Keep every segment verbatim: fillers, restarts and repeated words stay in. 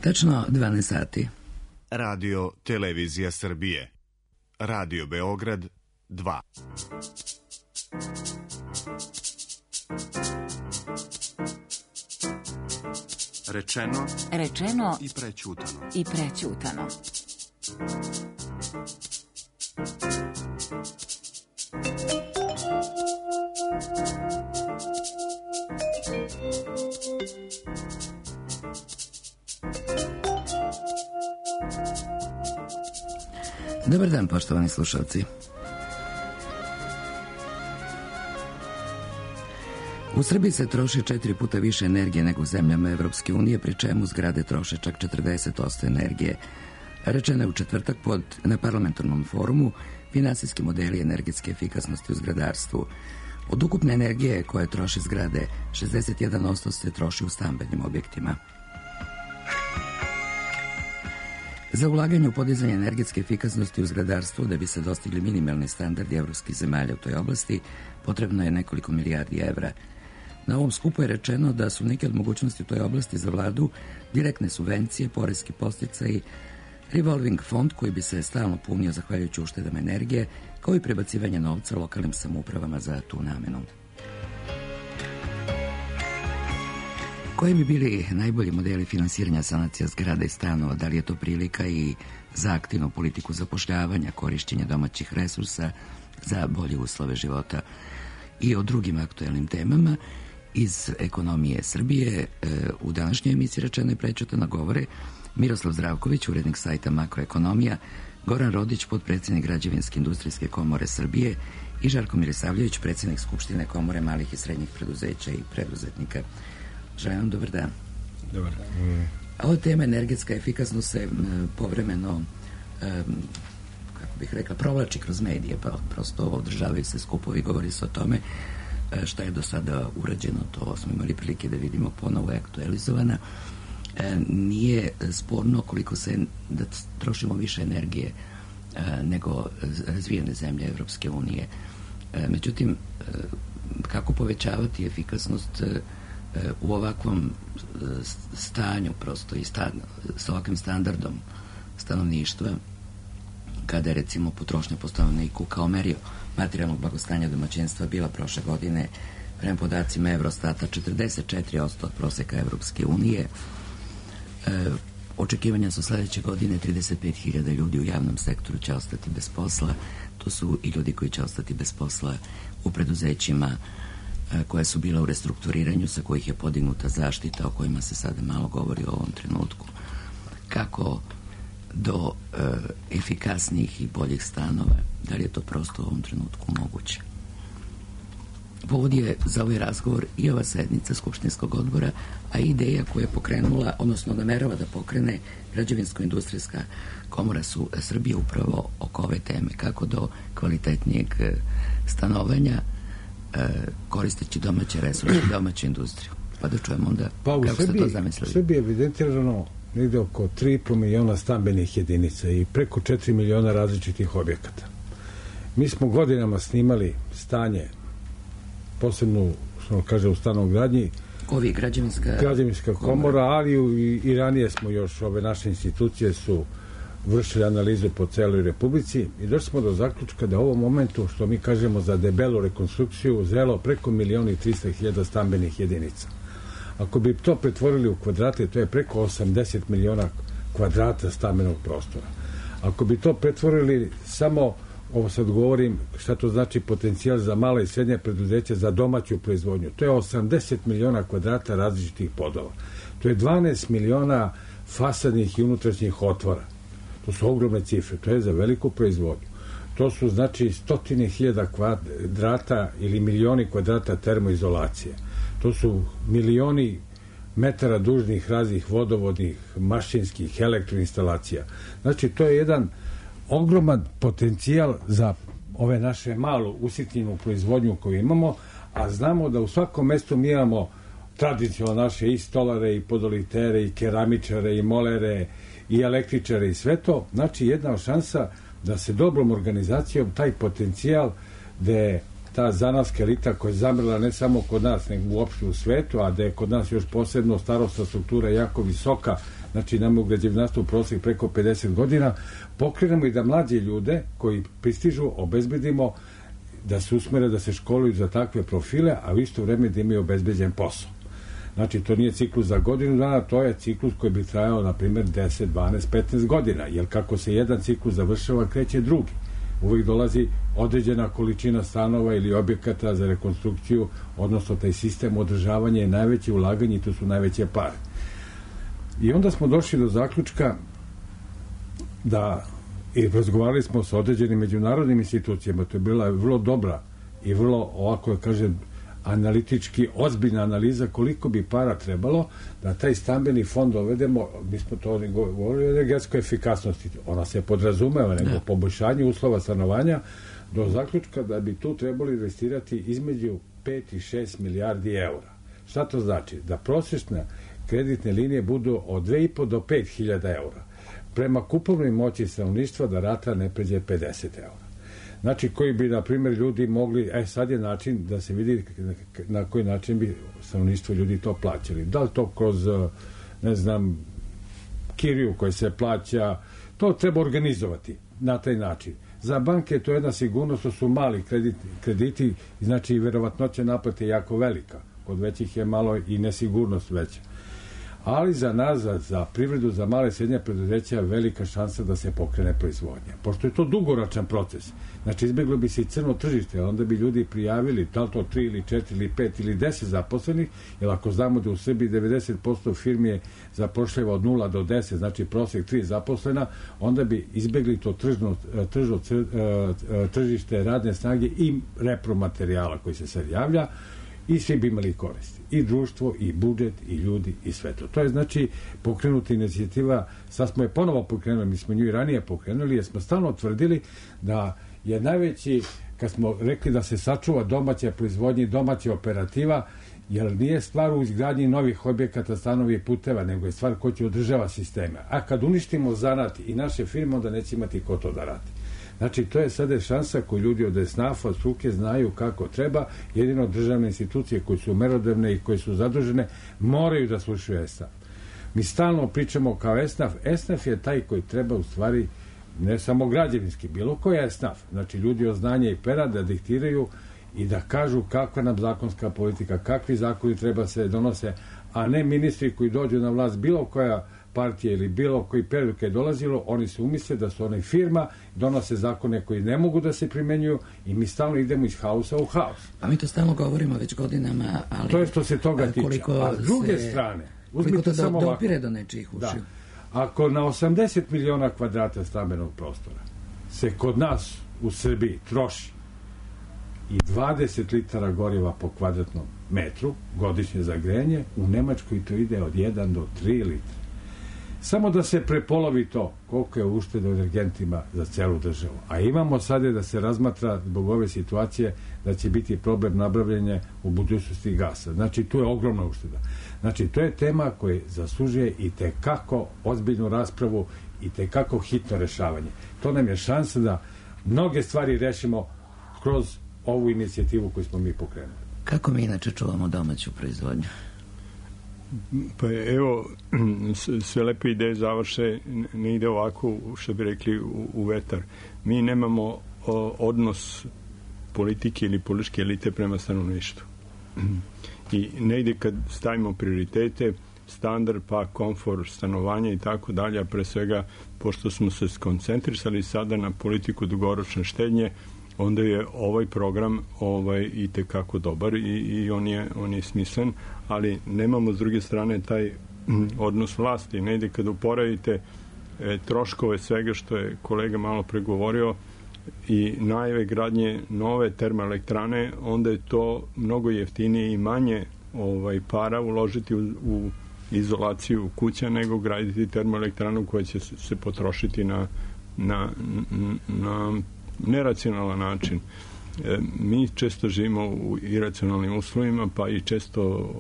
Tačno dvanaest sati. Radio Televizija Srbije. Radio Beograd dva. Rečeno, Rečeno i prećutano. i prećutano. Dobar dan, poštovani slušalci. U Srbiji se troši četiri puta više energije nego u zemljama Evropske unije, pri čemu zgrade troše čak četrdeset posto energije. Rečeno je u četvrtak pod, na parlamentarnom forumu finansijski modeli energetske efikasnosti u zgradarstvu. Od ukupne energije koje troše zgrade, šezdeset jedan posto se troši u stambenim objektima. Za ulaganje u podizanje energetske efikasnosti u zgradarstvu, da bi se dostigli minimalni standardi evropskih zemalja u toj oblasti, potrebno je nekoliko milijardi evra. Na ovom skupu je rečeno da su neke od mogućnosti u toj oblasti za vladu direktne subvencije, poreski podsticaji, revolving fond koji bi se stalno punio zahvaljujući uštedama energije, kao i prebacivanje novca lokalnim samoupravama za tu namenu. Koji bi bili najbolji modeli finansiranja sanacija zgrada i stanova? Da li je to prilika i za aktivnu politiku zapošljavanja, korišćenja domaćih resursa za bolje uslove života? I o drugim aktuelnim temama iz ekonomije Srbije u današnjoj emisiji Rečeno i prećutano govore Miroslav Zdravković, urednik sajta Makroekonomija, Goran Rodić, potpredsjednik Građevinske industrijske komore Srbije i Žarko Milisavljević, predsjednik Skupštine komore malih i srednjih preduzeća i preduzetnika. Želim vam dobar dan. Dobar dan. Mm. Ova tema energetska efikasnost se povremeno, um, kako bih rekla, provlači kroz medije, pa prosto održavaju se skupovi, govori se o tome šta je do sada urađeno, to smo imali prilike da vidimo, ponovo je aktualizovana. E, nije sporno koliko se, da trošimo više energije e, nego razvijene zemlje Evropske unije. E, međutim, e, kako povećavati efikasnost e, u ovakvom stanju prosto i stan, s ovakvim standardom stanovništva, kada je recimo potrošnja po stanovniku kao merio materijalnog blagostanja domaćinstva bila prošle godine prema podacima Eurostata četrdeset četiri posto od proseka Evropske unije. E, očekivanja su sledeće godine trideset pet hiljada ljudi u javnom sektoru će ostati bez posla. To su i ljudi koji će ostati bez posla u preduzećima koja su bila u restrukturiranju, sa kojih je podignuta zaštita, o kojima se sada malo govori u ovom trenutku. Kako do e, efikasnijih i boljih stanova, da li je to prosto u ovom trenutku moguće? Povod je za ovaj razgovor i ova sednica Skupštinskog odbora, a ideja koja je pokrenula, odnosno namerava da pokrene Građevinsko-industrijska komora su Srbije upravo oko ove teme, kako do kvalitetnijeg stanovanja koristeći domaće resurse i domaću industriju. Pa da čujemo onda pa kako Srbiji, ste to zamislili. U Srbiji je evidentirano negde oko tri i po miliona stambenih jedinica i preko četiri miliona različitih objekata. Mi smo godinama snimali stanje, posebno, što kaže, u stanogradnji, Ovi građevinska, građevinska komora, ali i, i ranije smo još, ove naše institucije su vršili analizu po celoj Republici i došli smo do zaključka da u ovom momentu, što mi kažemo za debelu rekonstrukciju, zrelo preko miliona i trista hiljada stambenih jedinica. Ako bi to pretvorili u kvadrate, to je preko osamdeset miliona kvadrata stambenog prostora. Ako bi to pretvorili samo, ovo sad govorim, šta to znači potencijal za mala i srednja preduzeća za domaću proizvodnju, to je osamdeset miliona kvadrata različitih podova. To je dvanaest miliona fasadnih i unutrašnjih otvora. To su ogromne cifre, to je za veliku proizvodnju. To su, znači, stotine hiljada kvadrata ili milioni kvadrata termoizolacije. To su milioni metara dužnih raznih vodovodnih, mašinskih, elektroinstalacija. Znači, to je jedan ogroman potencijal za ove naše malo usitnjenu proizvodnju koju imamo, a znamo da u svakom mestu mi imamo tradicionalno naše i stolare, i podolitere, i keramičare, i molere, i električare i sve to. Znači, jedna šansa da se dobrom organizacijom taj potencijal gde ta zanatska elita koja je zamrla ne samo kod nas, nego uopšte u svetu, a da je kod nas još posebno starosna struktura jako visoka, znači nam u građevinarstvu prosjek preko pedeset godina, pokrenemo i da mlađe ljude koji pristižu obezbedimo da se usmere da se školuju za takve profile, a u isto vreme da imaju obezbeđen posao. Znači, to nije ciklus za godinu dana, to je ciklus koji bi trajao, na primjer, deset, dvanaest, petnaest godina, jer kako se jedan ciklus završava, kreće drugi. Uvijek dolazi određena količina stanova ili objekata za rekonstrukciju, odnosno taj sistem održavanja je najveće ulaganje i to su najveće pare. I onda smo došli do zaključka da, i razgovarali smo sa određenim međunarodnim institucijama, to je bila vrlo dobra i vrlo, ovako da kažem, analitički ozbiljna analiza koliko bi para trebalo da taj stambeni fond dovedemo, mi smo to govorili o energetskoj efikasnosti, ona se podrazumeva, nego poboljšanje uslova stanovanja, do zaključka da bi tu trebali investirati između pet i šest milijardi eura. Šta to znači? Da prosječne kreditne linije budu od dve i po do pet hiljada eura. Prema kupovnoj moći stanovništva da rata ne pređe pedeset eura. Znači, koji bi, na primjer, ljudi mogli, e, sad je način da se vidi na koji način bi stanovništvo ljudi to plaćali. Da li to kroz, ne znam, kiriju koja se plaća, to treba organizovati na taj način. Za banke to je jedna sigurnost, to su mali krediti, krediti znači i verovatnoća naplate je jako velika. Kod većih je malo i nesigurnost veća. Ali za nas, za, za privredu, za male i srednje preduzeća je velika šansa da se pokrene proizvodnja. Pošto je to dugoročan proces, znači izbjeglo bi se i crno tržište, onda bi ljudi prijavili da li to tri ili četiri ili pet ili deset zaposlenih, jer ako znamo da u Srbiji devedeset posto firmi je zapošljava od nula do deset, znači prosjek tri zaposlena, onda bi izbjegli to tržno, tržno, tržište radne snage i repromaterijala koji se sad javlja, i svi bi imali koristi. I društvo, i budžet, i ljudi, i sve to. To je znači pokrenuta inicijativa, sad smo je ponovo pokrenuli, mi smo nju i ranije pokrenuli, jer smo stalno tvrdili da je najveći, kad smo rekli da se sačuva domaća proizvodnja i domaća operativa, jer nije stvar u izgradnji novih objekata, stanovi i puteva, nego je stvar ko će održava sisteme. A kad uništimo zanat i naše firme, onda neće imati ko to da radi. Znači, to je sada šansa koju ljudi od esnafa, od struke znaju kako treba. Jedino državne institucije koje su merodavne i koje su zadužene moraju da slušaju esnaf. Mi stalno pričamo kao esnaf. Esnaf je taj koji treba u stvari ne samo građevinski, bilo koji esnaf. Znači, ljudi od znanja i pera da diktiraju i da kažu kakva nam zakonska politika, kakvi zakoni treba se donose, a ne ministri koji dođu na vlast bilo koja partija ili bilo koji period kad je dolazilo, oni se umisle da su one firma, donose zakone koji ne mogu da se primenjuju i mi stalno idemo iz haosa u haos. A mi to stalno govorimo već godinama, ali... To je što se toga tiče. A s druge se, strane, koliko to samo do, dopire do nečijih ušiju. Da. Ako na osamdeset miliona kvadrata stambenog prostora se kod nas u Srbiji troši i dvadeset litara goriva po kvadratnom metru godišnje za grejanje, u Nemačkoj to ide od jedan do tri litra. Samo da se prepolovi to koliko je ušteda u energentima za celu državu. A imamo sada da se razmatra zbog ove situacije da će biti problem nabavljanja u budućnosti gasa. Znači, tu je ogromna ušteda. Znači, to je tema koja zaslužuje i tekako ozbiljnu raspravu i tekako hitno rešavanje. To nam je šansa da mnoge stvari rešimo kroz ovu inicijativu koju smo mi pokrenuli. Kako mi inače čuvamo domaću proizvodnju? Pa evo, sve lepe ideje završe, ne ide ovako, što bi rekli, u, u vetar. Mi nemamo o, odnos politike ili političke elite prema stanovništvu. I ne ide kad stavimo prioritete, standard, pa komfor, stanovanja i tako dalje, a pre svega, pošto smo se skoncentrisali sada na politiku dugoročne štednje, onda je ovaj program ovaj i tekako dobar i, i on, je, on je smislen, ali nemamo s druge strane taj odnos vlasti. Ne ide kad uporedite e, troškove svega što je kolega malo pregovorio i najave gradnje nove termoelektrane, onda je to mnogo jeftinije i manje ovaj, para uložiti u, u izolaciju kuća nego graditi termoelektranu koja će se potrošiti na, na, na neracionalan način. E, mi često živimo u iracionalnim uslovima, pa i često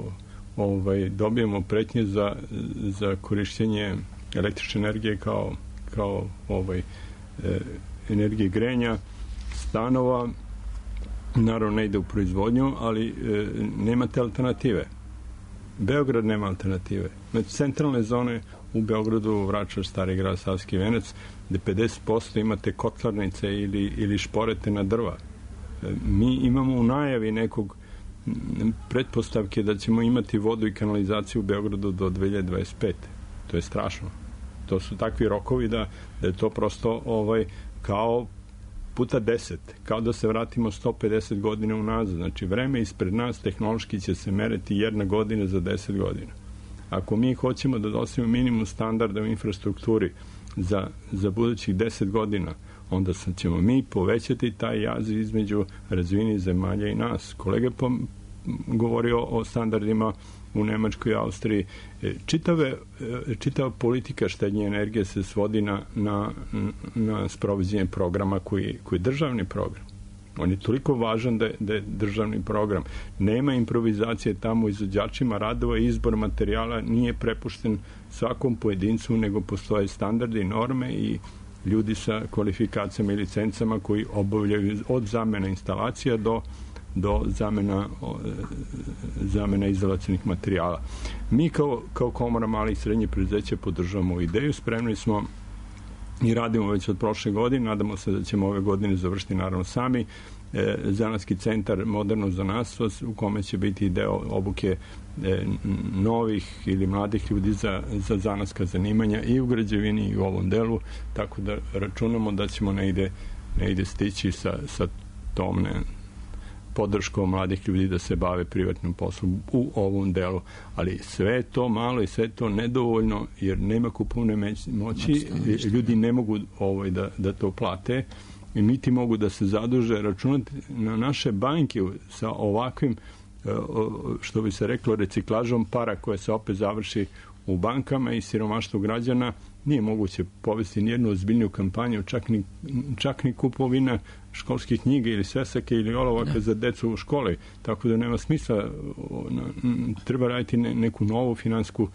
ovaj, dobijemo pretnje za, za korišćenje električne energije kao, kao ovaj, e, energije grejanja stanova. Naravno ne ide u proizvodnju, ali e, nemate alternative. Beograd nema alternative. Znači, centralne zone u Beogradu, Vračar, Stari grad, Savski venac, gde pedeset posto imate kotlarnice ili, ili šporete na drva. Mi imamo u najavi nekog pretpostavke da ćemo imati vodu i kanalizaciju u Beogradu do dve hiljade dvadeset pete. To je strašno. To su takvi rokovi da, da je to prosto ovaj, kao puta deset, kao da se vratimo sto pedeset godina unazad. Znači, vreme ispred nas tehnološki će se meriti jedna godina za deset godina. Ako mi hoćemo da dostavimo minimum standarda u infrastrukturi za, za budućih deset godina, onda ćemo mi povećati taj jaz između razvijenih zemalja i nas. Kolega je govorio o standardima u Nemačkoj i Austriji. Čitave, čitava politika štednje energije se svodi na, na, na sprovođenje programa koji, koji je državni program. On je toliko važan da je, da je državni program. Nema improvizacije tamo, izvođačima radova i izbor materijala nije prepušten svakom pojedincu, nego postoje standarde i norme i ljudi sa kvalifikacijama i licencama koji obavljaju od zamena instalacija do do zamena, zamena izolacionih materijala. Mi kao, kao Komora malih i srednjih preduzeća podržavamo ideju, spremni smo i radimo već od prošle godine, nadamo se da ćemo ove godine završiti naravno sami e, zanatski centar Moderno zanatstvo u kome će biti deo obuke e, novih ili mladih ljudi za, za zanatska zanimanja i u građevini i u ovom delu, tako da računamo da ćemo negde, negde stići sa, sa tom ne, podrškom mladih ljudi da se bave privatnim poslom u ovom delu. Ali sve je to malo i sve je to nedovoljno jer nema kupovne moći, ljudi ne mogu ovaj, da, da to plate i niti mogu da se zaduže. Računati na naše banke sa ovakvim, što bi se reklo, reciklažom para koja se opet završi u bankama i siromaštvo građana, nije moguće povesti nijednu ozbiljniju kampanju, čak ni, čak ni kupovina školskih knjiga ili svesake ili olovaka za decu u školi. Tako da nema smisla. Treba raditi neku novu finansku,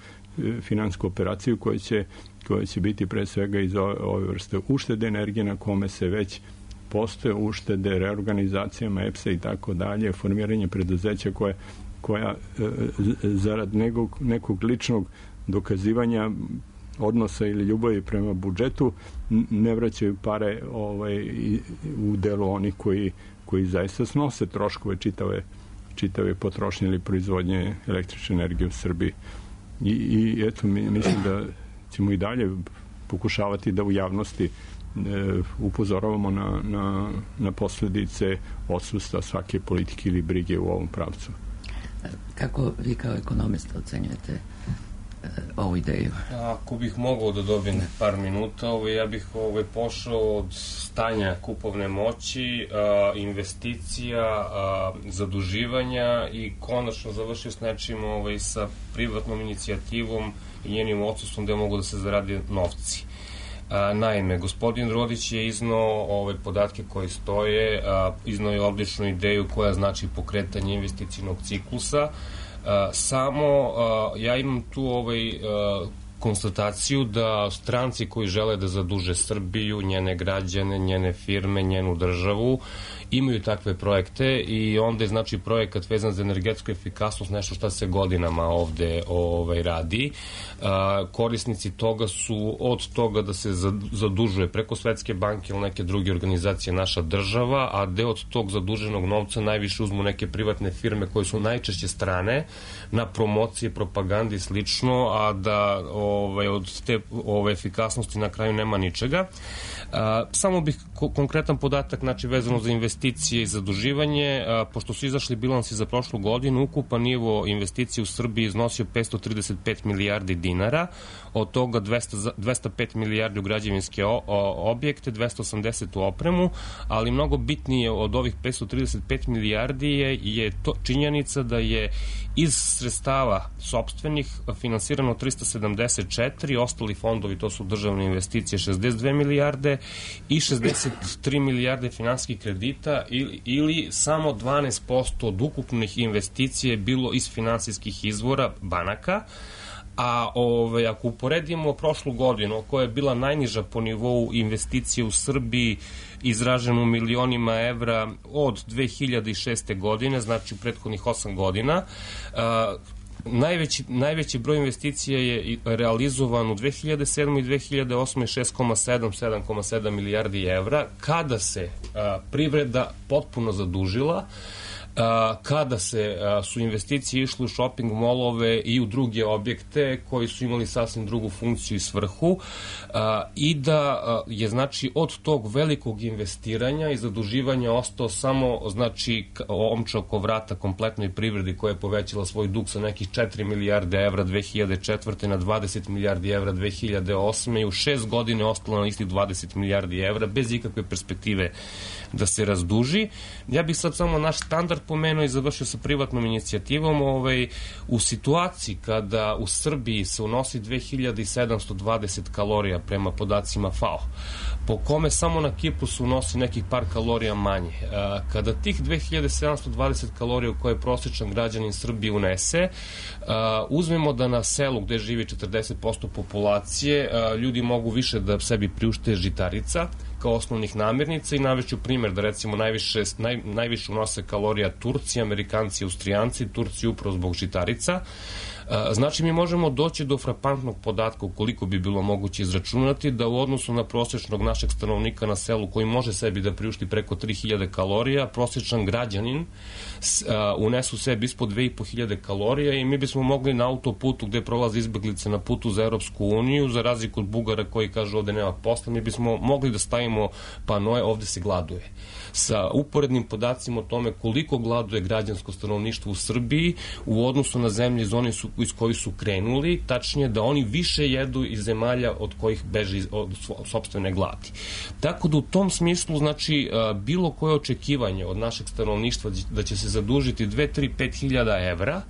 finansku operaciju koja će, koja će biti pre svega iz ove, ove vrste uštede energije na kome se već postoje uštede, reorganizacijama E P S-a i tako dalje, formiranje preduzeća koje, koja zarad nekog, nekog ličnog dokazivanja odnosa ili ljubavi prema budžetu ne vraćaju pare ovaj, u delu onih koji, koji zaista snose troškove čitave, čitave potrošnje ili proizvodnje električne energije u Srbiji. I, i eto, mi, mislim da ćemo i dalje pokušavati da u javnosti e, upozoravamo na, na, na posledice odsustva svake politike ili brige u ovom pravcu. Kako vi kao ekonomista ocenjujete ovu ideju? Ako bih mogao da dobijem par minuta, ovaj, ja bih ovaj, pošao od stanja kupovne moći, a, investicija, a, zaduživanja i konačno završio s nečim ovaj, sa privatnom inicijativom i njenim odsustvom gde mogu da se zaradi novci. A, naime, gospodin Rodić je iznao ove podatke koji stoje, a, iznao je odličnu ideju koja znači pokretanje investicijnog ciklusa. A, samo a, ja imam tu ovaj a, konstataciju da stranci koji žele da zaduže Srbiju, njene građane, njene firme, njenu državu, imaju takve projekte i onda je znači projekat vezan za energetsku efikasnost nešto što se godinama ovde ovaj, radi. A, korisnici toga su od toga da se zadužuje preko Svetske banke ili neke druge organizacije naša država, a deo od tog zaduženog novca najviše uzmu neke privatne firme koje su najčešće strane na promocije, propagandi i slično, a da ovaj, od te ovaj, efikasnosti na kraju nema ničega. A, samo bih ko konkretan podatak znači vezano za investicije i zaduživanje, a, pošto su izašli bilansi za prošlu godinu, ukupan nivo investicije u Srbiji iznosio petsto trideset pet milijardi dinara, od toga dvesta pet milijardi u građevinske o, o, objekte, dvesta osamdeset u opremu, ali mnogo bitnije od ovih petsto trideset pet milijardi je, je to činjenica da je iz sredstava sopstvenih finansirano trista sedamdeset četiri, ostali fondovi, to su državne investicije, šezdeset dve milijarde i šezdeset tri milijarde finansijskih kredita ili, ili samo dvanaest posto od ukupnih investicija je bilo iz finansijskih izvora banaka. A ove, ako uporedimo prošlu godinu, koja je bila najniža po nivou investicije u Srbiji, izraženo u milionima evra od dve hiljade šeste godine, znači u prethodnih osam godina, a, Najveći, najveći broj investicija je realizovan u dve hiljade sedmoj i dve hiljade osmoj šest zarez sedam, sedam zarez sedam milijardi evra, kada se a, privreda potpuno zadužila, kada se su investicije išle u shopping molove i u druge objekte koji su imali sasvim drugu funkciju i svrhu i da je znači od tog velikog investiranja i zaduživanja ostao samo znači omča oko vrata kompletnoj privredi koja je povećala svoj dug sa nekih četiri milijarde evra dve hiljade četvrte na dvadeset milijardi evra dve hiljade osme i u šest godine ostalo na istih dvadeset milijardi evra bez ikakve perspektive da se razduži. Ja bih sad samo naš standard pomenuo i završio sa privatnom inicijativom. Ovaj, u situaciji kada u Srbiji se unosi dve hiljade sedamsto dvadeset kalorija prema podacima F A O, po kome samo na Kipru se unosi nekih par kalorija manje. Kada tih dve hiljade sedamsto dvadeset kalorija koje prosječan građanin Srbije unese, uzmemo da na selu gde živi četrdeset posto populacije, ljudi mogu više da sebi priušte žitarica kao osnovnih namirnica i navešću primjer da recimo najviše, naj, najviše unose kalorija Turci, Amerikanci, Austrijanci, Turci upravo zbog žitarica. Znači mi možemo doći do frapantnog podatka ukoliko bi bilo moguće izračunati da u odnosu na prosječnog našeg stanovnika na selu koji može sebi da priušti preko tri hiljade kalorija, prosječan građanin unesu sebi ispod dve i po hiljade kalorija i mi bismo mogli na autoputu gde prolaze izbeglice na putu za Europsku uniju, za razliku od Bugara koji kažu ovde nema posla, mi bismo mogli da stavimo panoje ovde se gladuje. Sa uporednim podacima o tome koliko gladuje građansko stanovništvo u Srbiji u odnosu na zemlje iz onih su, iz kojih su krenuli, tačnije da oni više jedu iz zemalja od kojih beže od sopstvene gladi. Tako da u tom smislu, znači, bilo koje očekivanje od našeg stanovništva da će se zadužiti dve, tri, pet hiljada evra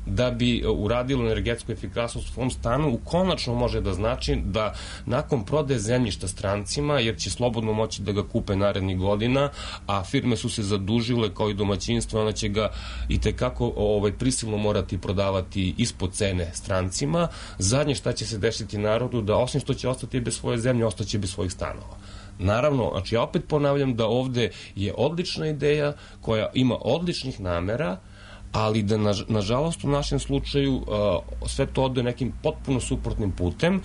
da bi uradilo energetsku efikasnost u svom stanu, u konačno može da znači da nakon prodaje zemljišta strancima, jer će slobodno moći da ga kupe narednih godina, a firme su se zadužile kao i domaćinstvo, ona će ga i tekako ovaj, prisilno morati prodavati ispod cene strancima. Zadnje šta će se desiti narodu, da osim što će ostati bez svoje zemlje, ostaće bez svojih stanova. Naravno, znači ja opet ponavljam da ovde je odlična ideja koja ima odličnih namera, ali da na, nažalost u našem slučaju uh, sve to ode nekim potpuno suprotnim putem.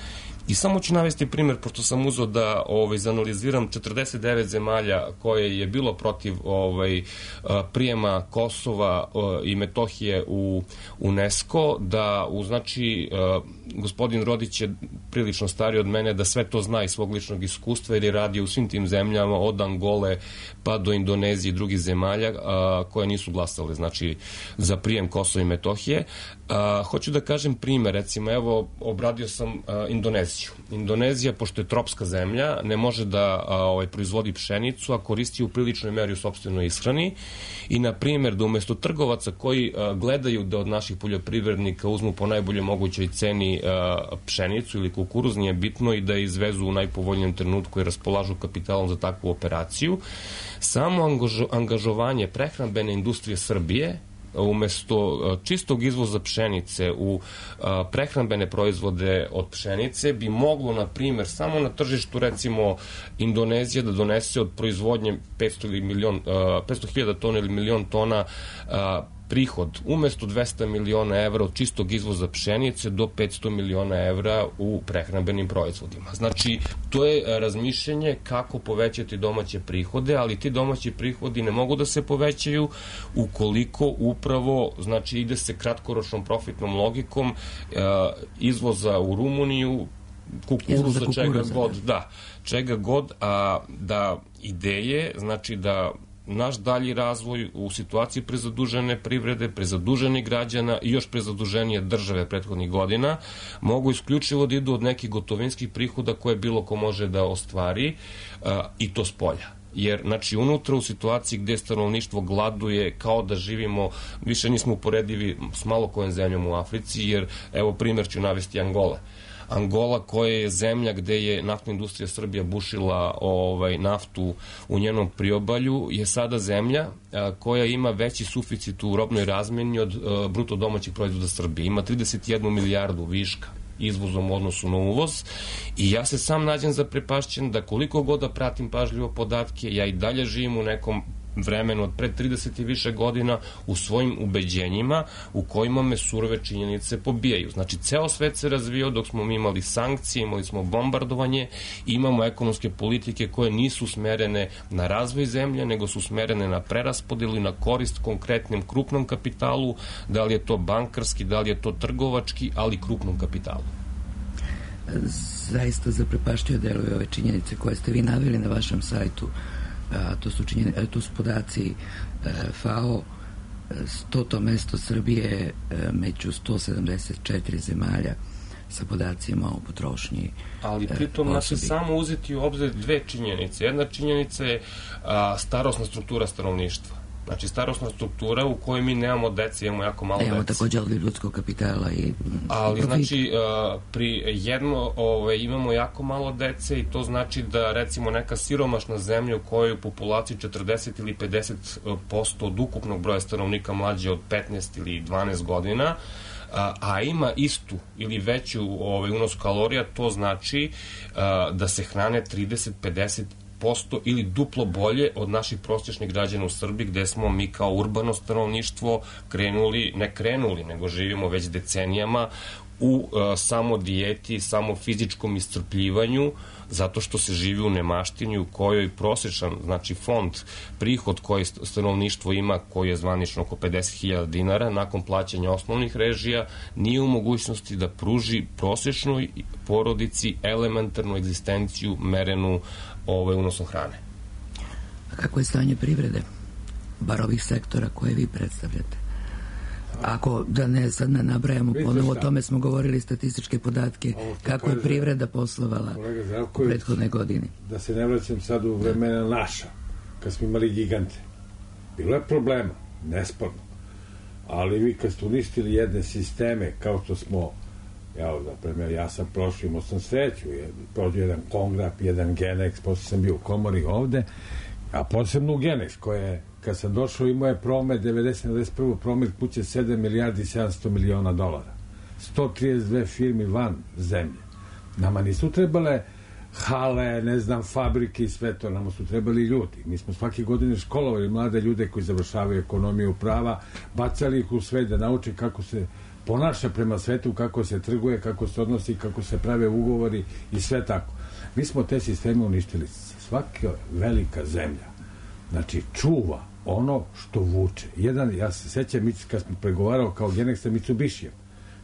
I samo ću navesti primjer, pošto sam uzeo da ovaj, zanaliziram četrdeset devet zemalja koje je bilo protiv ovaj, prijema Kosova i Metohije u UNESCO, da u, znači, gospodin Rodić je prilično stariji od mene, da sve to zna iz svog ličnog iskustva, jer je radio u svim tim zemljama, od Angole pa do Indonezije i drugih zemalja koje nisu glasale, znači, za prijem Kosova i Metohije. Hoću da kažem primjer, recimo, evo, obradio sam Indoneziju. Indonezija, pošto je tropska zemlja, ne može da a, ovaj, proizvodi pšenicu, a koristi u priličnoj meri u sopstvenoj ishrani i, na primjer, da umesto trgovaca koji a, gledaju da od naših poljoprivrednika uzmu po najboljoj mogućoj ceni a, pšenicu ili kukuruz, nije bitno, i da je izvezu u najpovoljnijem trenutku i raspolažu kapitalom za takvu operaciju, samo angažo, angažovanje prehrambene industrije Srbije umesto čistog izvoza pšenice u prehrambene proizvode od pšenice bi moglo, na primjer, samo na tržištu, recimo, Indonezije da donese od proizvodnje petsto hiljada tona ili milion tona prihod umesto dvesta miliona evra od čistog izvoza pšenice do petsto miliona evra u prehrambenim proizvodima. Znači, to je razmišljanje kako povećati domaće prihode, ali ti domaći prihodi ne mogu da se povećaju ukoliko upravo, znači, ide se kratkoročnom profitnom logikom izvoza u Rumuniju, kukuruza, čega god, da, čega god, a da ideje, znači da naš dalji razvoj u situaciji prezadužene privrede, prezaduženih građana i još prezaduženije države prethodnih godina mogu isključivo da idu od nekih gotovinskih prihoda koje bilo ko može da ostvari, a, i to s polja. Jer, znači, unutra u situaciji gde stanovništvo gladuje, kao da živimo, više nismo uporedivi s malo kojom zemljom u Africi, jer, evo, primjer ću navesti Angole. Angola, koja je zemlja gde je naftna industrija Srbija bušila ovaj, naftu u njenom priobalju, je sada zemlja a, koja ima veći suficit u robnoj razmeni od a, bruto domaćih proizvoda Srbije. Ima trideset jednu milijardu viška izvozom u odnosu na uvoz i ja se sam nađem zaprepašćen da koliko god da pratim pažljivo podatke, ja i dalje živim u nekom vremenu od pre trideset i više godina u svojim ubeđenjima u kojima me surove činjenice pobijaju. Znači, ceo svet se razvio dok smo mi imali sankcije, imali smo bombardovanje, imamo ekonomske politike koje nisu smerene na razvoj zemlje, nego su smerene na preraspodelu i na korist konkretnim krupnom kapitalu, da li je to bankarski, da li je to trgovački, ali krupnom kapitalu. Zaista zaprepaštio deluje ove činjenice koje ste vi naveli na vašem sajtu, a to su, činjenice, to su podaci F A O, stoto mesto Srbije među sto sedamdeset četiri zemalja sa podacima o potrošnji. Ali pritom nas je samo uzeti u obzir dve činjenice. Jedna činjenica je a, starosna struktura stanovništva. Znači, starosna struktura u kojoj mi nemamo dece, imamo jako malo dece. Imamo također ali ljudskog kapitala i... Ali, znači, pri jedno ove, imamo jako malo dece i to znači da, recimo, neka siromašna zemlja u kojoj u populaciji četrdeset ili pedeset posto od ukupnog broja stanovnika mlađe od petnaest ili dvanaest godina, a, a ima istu ili veću ovaj, unos kalorija, to znači a, da se hrane trideset do pedeset posto ili duplo bolje od naših prosječnih građana u Srbiji, gde smo mi kao urbano stanovništvo krenuli, ne krenuli, nego živimo već decenijama u uh, samo dijeti, samo fizičkom iscrpljivanju, zato što se živi u nemaštini u kojoj prosječan, znači fond, prihod koji stanovništvo ima, koji je zvanično oko pedeset hiljada dinara, nakon plaćanja osnovnih režija, nije u mogućnosti da pruži prosječnoj porodici elementarnu egzistenciju merenu ovaj, unosom hrane. A kako je stanje privrede? Bar ovih sektora koje vi predstavljate. Ako, da ne sad ne nabrajamo ponovo, o tome smo govorili statističke podatke, kako je privreda poslovala u prethodne godine. Da se ne vraćam sad u vremena naša, kad smo imali gigante. Bilo je problema, nesporno. Ali vi kad ste uništili jedne sisteme, kao što smo, ja, za primjer, ja sam prošao, imao sam sreću, prođu jedan Kongrap, jedan Genex, posle sam bio u komori ovde, a posebno u Genex, koje je, kad sam došao, imao je promet devedeset devedeset prvi promet kuće sedam milijardi sedamsto miliona dolara. sto trideset dve firmi van zemlje. Nama nisu trebale hale, ne znam, fabrike i sve to, nama su trebali ljudi. Mi smo svake godine školovali mlade ljude koji završavaju ekonomiju prava, bacali ih u sve da nauče kako se ponaša prema svetu, kako se trguje, kako se odnosi, kako se prave ugovori i sve tako. Mi smo te sisteme uništili. Svaka velika zemlja, znači, čuva ono što vuče. Jedan, ja se sećam, kad smo pregovarao kao Genex sa Mitsubishijem,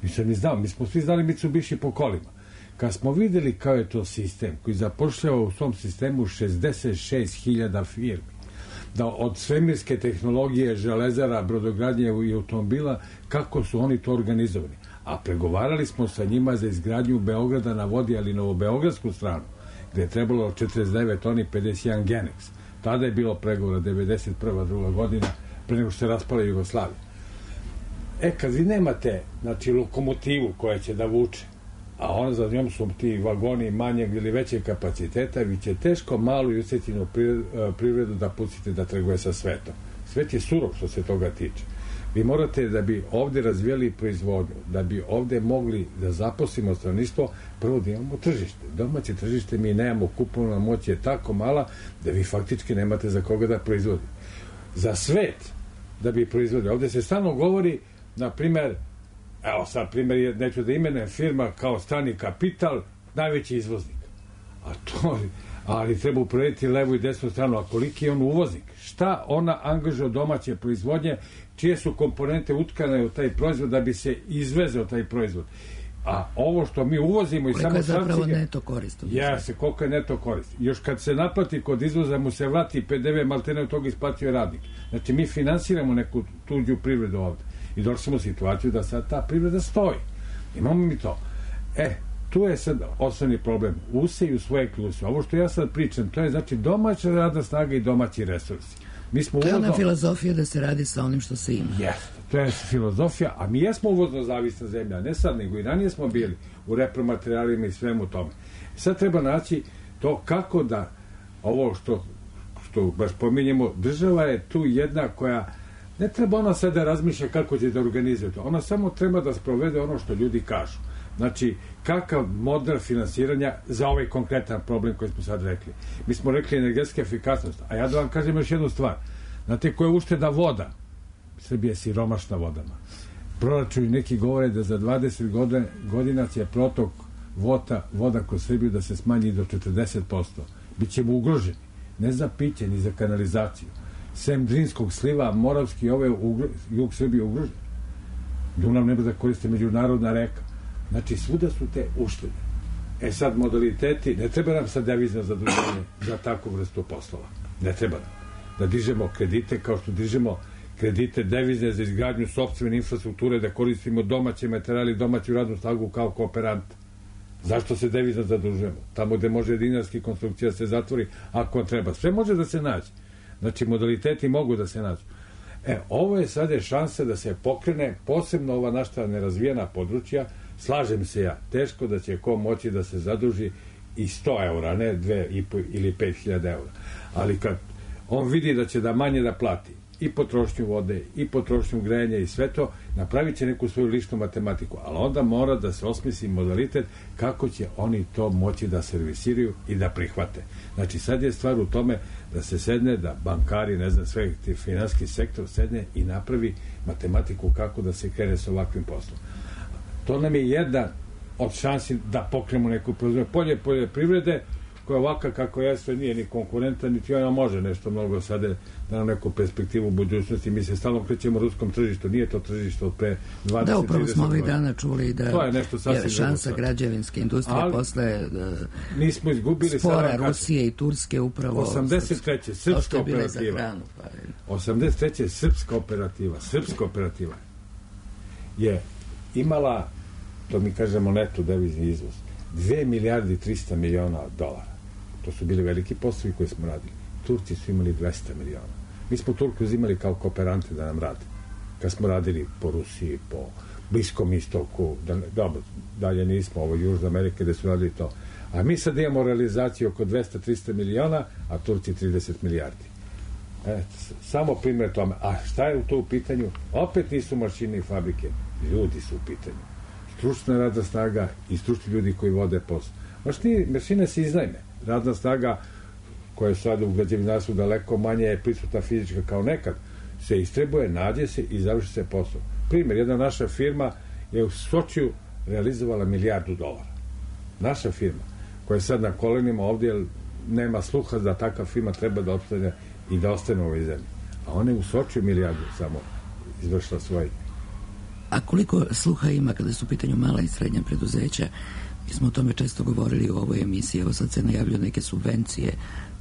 nisam ni znao, mi smo svi znali Mitsubishi po kolima. Kad smo videli kao je to sistem koji zapošljava u svom sistemu šezdeset šest hiljada firmi, da od svemirske tehnologije, železara, brodogradnje i automobila, kako su oni to organizovani. A pregovarali smo sa njima za izgradnju Beograda na vodi, ali novobeogradsku stranu, gde je trebalo četrdeset devet toni, pedeset jedan Genex. Tada je bilo pregovora devedeset prva druga godina, pre nego što se raspala Jugoslavija. E, kad vi nemate, znači, lokomotivu koja će da vuče, a onda za njom su ti vagoni manjeg ili većeg kapaciteta, vi će teško malu i usjećenu privredu da pustite da trguje sa svetom. Svet je surov što se toga tiče. Vi morate, da bi ovde razvijali proizvodnju, da bi ovde mogli da zaposlimo stanovništvo, prvo da imamo tržište. Domaće tržište mi nemamo, kupovna moć je tako mala da vi faktički nemate za koga da proizvodite. Za svet da bi proizvodili. Ovde se stalno govori, na primer, evo sad primer, neću da imenem, firma kao strani kapital, najveći izvoznik. A to, ali treba uporediti levu i desnu stranu, a koliki je on uvoznik? Šta ona angažuje domaće proizvodnje, čije su komponente utkane u taj proizvod da bi se izvezeo taj proizvod? A ovo što mi uvozimo i samo... Koliko je zapravo neto korist? Jeste, koliko je neto korist. Još kad se naplati kod izvoza, mu se vrati P D V, maltene od toga isplatio radnik. Znači, mi finansiramo neku tuđu privredu ovde. I došli smo u situaciju da sad ta privreda stoji. Imamo mi to. E, tu je sad osnovni problem. Useju svoje kluse. Ovo što ja sad pričam, to je znači domaća radna snaga i domaći resursi. Mi smo to je uvozno... ona filozofija da se radi sa onim što se ima. Jeste, to je filozofija, a mi jesmo uvozno zavisna zemlja, ne sad, nego i ranije smo bili u repromaterijalima i svemu tome. Sad treba naći to kako da ovo što, što baš pominjemo, država je tu jedna koja ne treba ona sad da razmišlja kako će da organizuje to. Ona samo treba da sprovede ono što ljudi kažu. Znači, kakav model finansiranja za ovaj konkretan problem koji smo sad rekli. Mi smo rekli energetska efikasnost, a ja da vam kažem još jednu stvar. Znate koja je ušteda voda? Srbija je siromašna vodama. Proračuni neki govore da za dvadeset godina će protok voda, voda kroz Srbiju da se smanji do četrdeset posto. Bićemo ugroženi. Ne za piće, ni za kanalizaciju. Sem Drinskog sliva, Moravski, ove ugro, jug Srbije ugrožen. Dunav ne može da koriste međunarodna reka. Znači, svuda su te uštede. E sad, modaliteti, ne treba nam sad devizno zaduženje za takvu vrstu poslova. Ne treba nam. Da dižemo kredite kao što dižemo kredite devizne za izgradnju sopstvene infrastrukture, da koristimo domaće materijali, domaću radnu snagu kao kooperant. Zašto se devizno zadužujemo? Tamo gde može dinarski konstrukcija se zatvori, ako treba. Sve može da se nađe. Znači, modaliteti mogu da se nađu. E, ovo je sad je šansa da se pokrene, posebno ova naša nerazvijena područja. Slažem se ja, teško da će ko moći da se zaduži i sto eura, ne dve i po ili pet hiljada eura. Ali kad on vidi da će da manje da plati i potrošnju vode, i potrošnju grejanja i sve to, napravit će neku svoju ličnu matematiku, ali onda mora da se osmisli modalitet kako će oni to moći da servisiraju i da prihvate. Znači, sad je stvar u tome da se sedne, da bankari, ne znam, sve ti finansijski sektor sedne i napravi matematiku kako da se krene sa ovakvim poslom. To nam je jedna od šansi da pokrenemo neku proizvodnju. Polje poljoprivrede, koja ovaka kako jeste, nije ni konkurenta, niti ona može nešto mnogo sada da nam neku perspektivu u budućnosti. Mi se stalno krećemo ruskom tržištu, nije to tržište od pre dvadeset Da, upravo smo ovih dana čuli da to je, nešto je šansa građevinske industrije ali, posle mi smo izgubili spora Rusije i Turske upravo osamdeset treće srpska operativa hranu, pa osamdeset treće srpska operativa srpska operativa je imala, to mi kažemo neto devizni izvoz, dve milijarde i trista miliona dolara. To su bili veliki poslovi koje smo radili. Turci su imali dvesta miliona. Mi smo Turku uzimali kao kooperante da nam rade. Kad smo radili po Rusiji, po Bliskom istoku, da, dobro, dalje nismo, ovo Južna Amerika gde su radili to. A mi sad imamo realizaciju oko dvesta do trista miliona, a Turci trideset milijardi. E, samo primjer tome. A šta je to u pitanju? Opet nisu mašine i fabrike. Ljudi su u pitanju. Stručna radna snaga i stručni ljudi koji vode posao. Mašine, mašine se iznajme. Radna snaga koja je sada u građevinarstvu daleko manje je prisutna fizička kao nekad, se istrebuje, nađe se i završi se posao. Primjer, jedna naša firma je u Sočiju realizovala milijardu dolara. Naša firma, koja je sad na kolenima ovdje, jer nema sluha da takva firma treba da opstane i da ostane u ovoj zemlji. A ona je u Sočiju milijardu samo izvršila svoj. A koliko sluha ima kada su u pitanju mala i srednja preduzeća? Mi smo o tome često govorili u ovoj emisiji. Evo sad se najavljuju neke subvencije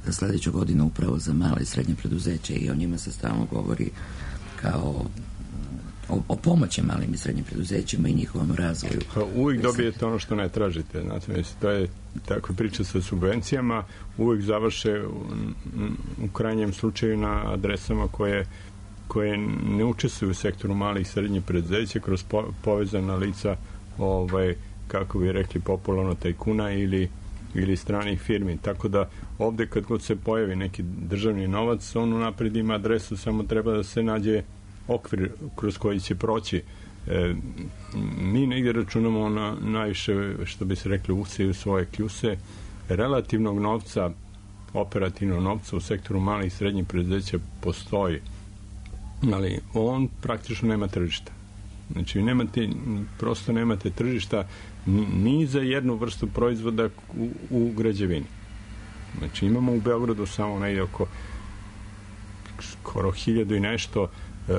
za sledeću godinu upravo za mala i srednje preduzeće i o njima se stalno govori kao o, o pomoći malim i srednjim preduzećima i njihovom razvoju. Pa uvijek dobijete ono što ne tražite. Znate, to je tako priča sa subvencijama, uvijek završe u, u krajnjem slučaju na adresama koje koje ne učestvuju u sektoru malih i srednjih preduzeća kroz po, povezana lica, ovaj, kako bi rekli popularno, tajkuna ili, ili stranih firmi. Tako da ovde kad god se pojavi neki državni novac, on unapred ima adresu, samo treba da se nađe okvir kroz koji će proći. E, mi negdje računamo na najviše, što bi se rekli, useju svoje kljuse, relativnog novca, operativnog novca u sektoru malih i srednjih preduzeća postoji, ali on praktično nema tržišta. Znači, nemate, prosto nemate tržišta ni za jednu vrstu proizvoda u, u građevini. Znači, imamo u Beogradu samo negdje oko skoro hiljadu i nešto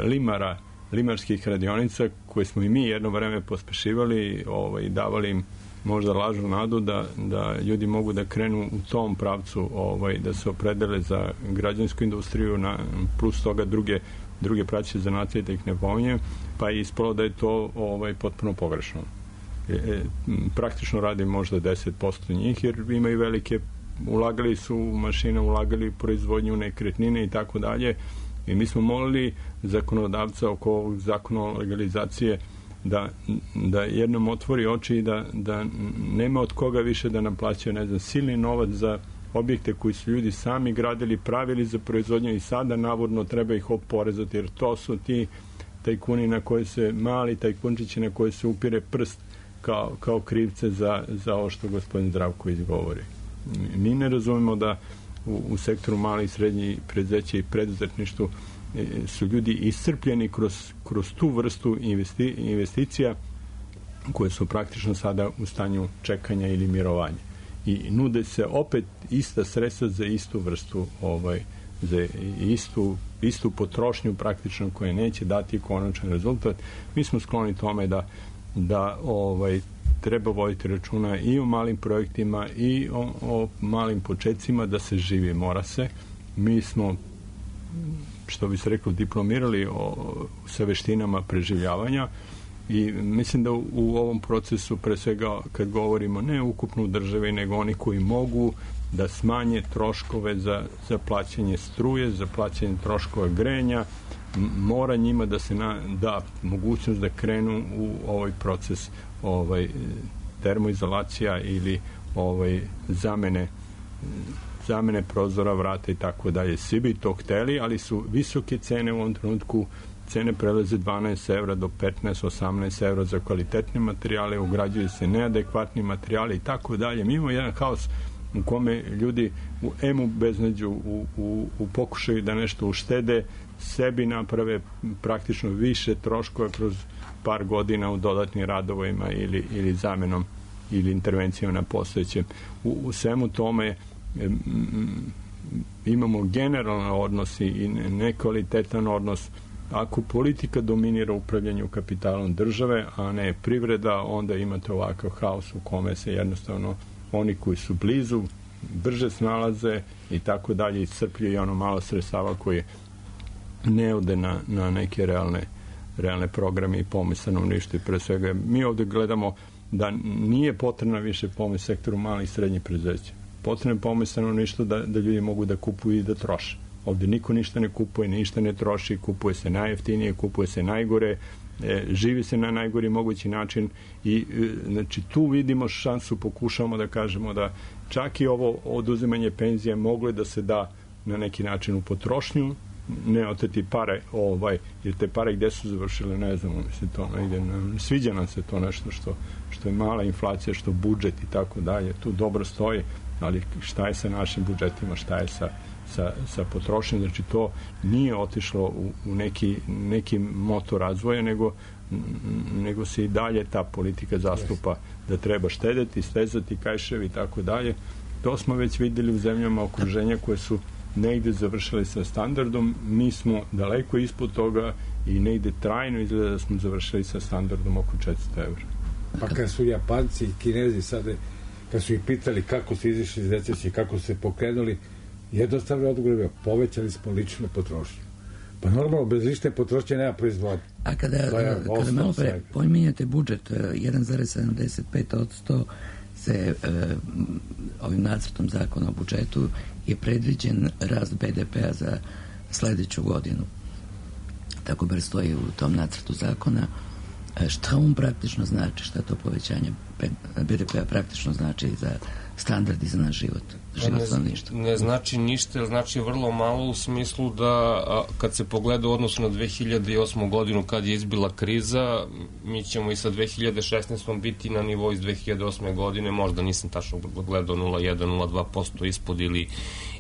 limara, limarskih radionica koje smo i mi jedno vreme pospešivali, ovaj, davali im možda lažnu nadu da, da ljudi mogu da krenu u tom pravcu, ovaj, da se opredele za građansku industriju, na, plus toga druge druge praće zanatije, da ih ne pominjem, pa je ispalo da je to ovaj, potpuno pogrešno. E, e, praktično radi možda deset posto njih, jer imaju velike, ulagali su u mašine, ulagali u proizvodnju nekretnine i tako dalje. I mi smo molili zakonodavca oko ovog zakona o legalizacije da, da jednom otvori oči i da, da nema od koga više da nam plaćaju, ne znam, silni novac za objekte koji su ljudi sami gradili, pravili za proizvodnju i sada navodno treba ih oporezati, jer to su ti tajkuni na koje se, mali tajkunčići na koje se upire prst kao, kao krivce za, za ovo što gospodin Zdravko izgovori. Mi ne razumemo da u, u sektoru malih i srednjih preduzeća i preduzetništvu su ljudi iscrpljeni kroz, kroz tu vrstu investi, investicija koje su praktično sada u stanju čekanja ili mirovanja. I nude se opet ista sredstva za istu vrstu, ovaj, za istu, istu potrošnju praktično koja neće dati konačan rezultat. Mi smo skloni tome da, da ovaj, treba voditi računa i o malim projektima i o, o malim početcima, da se živi, mora se. Mi smo, što bi se reklo, diplomirali o, sa veštinama preživljavanja i mislim da u, u ovom procesu, pre svega kad govorimo ne ukupno u državi, nego oni koji mogu da smanje troškove za, za plaćanje struje, za plaćanje troškova grejanja, mora njima da se na, da mogućnost da krenu u ovaj proces ovaj termoizolacija ili ovaj zamene zamene prozora, vrata i tako dalje. Svi bi to hteli, ali su visoke cene u ovom trenutku. Cene prelaze dvanaest evra do petnaest osamnaest evra za kvalitetne materijale, ugrađuju se neadekvatni materijali i tako dalje. Mi imamo jedan haos u kome ljudi u emu beznađu, u, u, u pokušaju da nešto uštede, sebi naprave praktično više troškova kroz par godina u dodatnim radovima ili, ili zamenom ili intervencijom na postojećem. U, u svemu tome m, m, imamo generalan odnos i nekvalitetan odnos. Ako politika dominira upravljanju kapitalom države, a ne privreda, onda imate ovakav haos u kome se jednostavno oni koji su blizu brže snalaze i tako dalje, iscrpljuju i ono malo sredstava koje ne ode na, na neke realne, realne programe i pomoć stanovništvu. Pre svega, mi ovde gledamo da nije potrebna više pomoć sektoru malih i srednjih preduzeća. Potrebna je pomoć stanovništvu da, da ljudi mogu da kupuju i da troše. Ovde niko ništa ne kupuje, ništa ne troši, kupuje se najjeftinije, kupuje se najgore, e, živi se na najgori mogući način i e, znači tu vidimo šansu, pokušamo da kažemo da čak i ovo oduzimanje penzije moglo da se da na neki način u potrošnju, ne oteti pare, ovaj, jer te pare gde su završile, ne znamo, mislim, to negde, ne, sviđa nam se to nešto što, što je mala inflacija, što budžet i tako dalje, tu dobro stoji, ali šta je sa našim budžetima, šta je sa sa, sa potrošnjom, znači to nije otišlo u, u neki, neki motor razvoja, nego, nego se i dalje ta politika zastupa da treba štedeti, stezati kajševi i tako dalje. To smo već videli u zemljama okruženja koje su negde završili sa standardom, mi smo daleko ispod toga i negde trajno izgleda da smo završili sa standardom oko četiristo evra. Pa kad su Japanci i Kinezi sada, kad su ih pitali kako su izišli iz recesije, kako su se pokrenuli, jednostavno odgovor je, povećali smo ličnu potrošnju. Pa normalno, bez lične potrošnje nema proizvodnje. A kada, kada malo pre pominjate budžet, jedan zarez sedamdeset pet posto se e, ovim nacrtom zakona o budžetu je predviđen rast be de pea za sledeću godinu. Tako bar stoji u tom nacrtu zakona. Šta on praktično znači, šta to povećanje be de pea praktično znači za standard i za naš život? Ne, ne znači ništa, znači vrlo malo u smislu da a, kad se pogleda u odnosu na dve hiljade osmu godinu kad je izbila kriza, mi ćemo i sa dve hiljade šesnaestom biti na nivou iz dve hiljade osme godine, možda nisam tačno gledao nula zarez jedan do nula zarez dva posto ispod ili